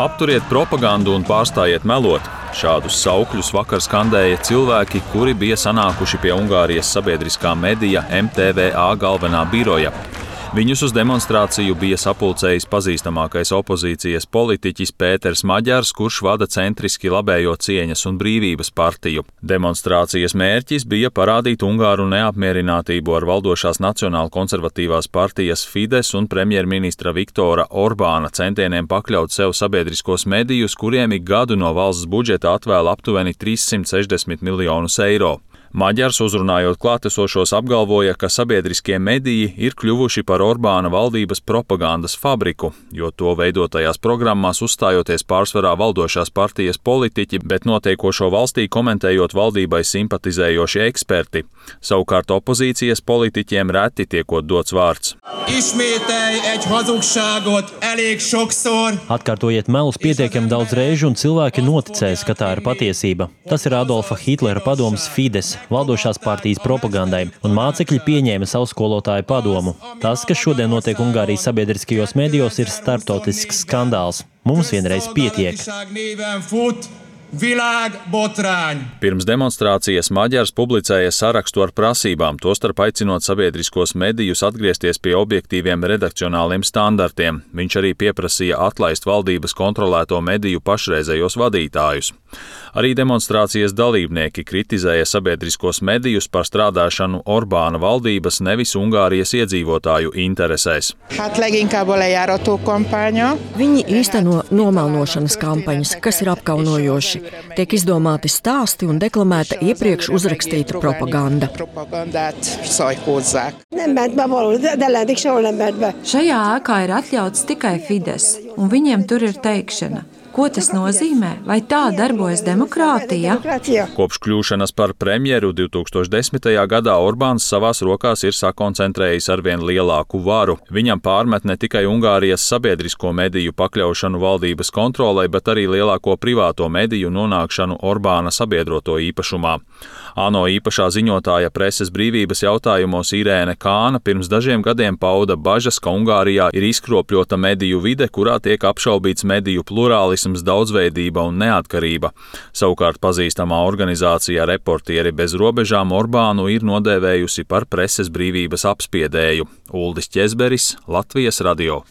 Apturiet propagandu un pārstājiet melot. Šādus saukļus vakar skandēja cilvēki, kuri bija sanākuši pie Ungārijas sabiedriskā medija MTVA galvenā biroja. Viņus uz demonstrāciju bija sapulcējis pazīstamākais opozīcijas politiķis Pēters Maģars, kurš vada centriski labējo Cieņas un brīvības partiju. Demonstrācijas mērķis bija parādīt Ungāru neapmierinātību ar valdošās nacionāla konservatīvās partijas Fides un premjerministra Viktora Orbāna centieniem pakļaut sev sabiedriskos medijus, kuriem ik gadu no valsts budžeta atvēl aptuveni 360 miljonus eiro. Maģars, uzrunājot klātesošos, apgalvoja, ka sabiedriskie mediji ir kļuvuši par Orbāna valdības propagandas fabriku, jo to veidotajās programmās uzstājoties pārsvarā valdošās partijas politiķi, bet notiekošo valstī komentējot valdībai simpatizējoši eksperti. Savukārt opozīcijas politiķiem reti tiekot dots vārds. Atkārtojiet melus pietiekami daudz reižu un cilvēki noticēs, ka tā ir patiesība. Tas ir Adolfa Hitlera padomes Fides, valdošās partijas propagandai, un mācekļi pieņēma savu skolotāju padomu. Tas, kas šodien notiek Ungārijas sabiedriskajos medijos, ir starptautisks skandāls. Mums vienreiz pietiek. Pirms demonstrācijas Maģars publicēja sarakstu ar prasībām, tostarp aicinot sabiedriskos medijus atgriezties pie objektīviem redakcionāliem standartiem. Viņš arī pieprasīja atlaist valdības kontrolēto mediju pašreizējos vadītājus. Arī demonstrācijas dalībnieki kritizēja sabiedriskos medijus par strādāšanu Orbāna valdības, nevis Ungārijas iedzīvotāju interesēs. Viņi īsteno nomelnošanas kampaņas, kas ir apkaunojoši. Tiek izdomāti stāsti un deklamēta iepriekš uzrakstīta propaganda. Šajā ēkā ir atļauts tikai Fides, un viņiem tur ir teikšana. Ko tas nozīmē? Vai tā darbojas demokrātija? Kopš kļūšanas par premjeru 2010. gadā Orbāns savās rokās ir sakoncentrējis arvien lielāku varu. Viņam pārmet ne tikai Ungārijas sabiedrisko mediju pakļaušanu valdības kontrolei, bet arī lielāko privāto mediju nonākšanu Orbāna sabiedroto īpašumā. ANO īpašā ziņotāja preses brīvības jautājumos Irēne Kāna pirms dažiem gadiem pauda bažas, ka Ungārijā ir izkropļota mediju vide, kurā tiek apšaubīts mediju plurālisms, daudzveidība un neatkarība. Savukārt pazīstamā organizācija Reportieri bez robežām Orbānu ir nodēvējusi par preses brīvības apspiedēju. Uldis Ķezberis, Latvijas radio.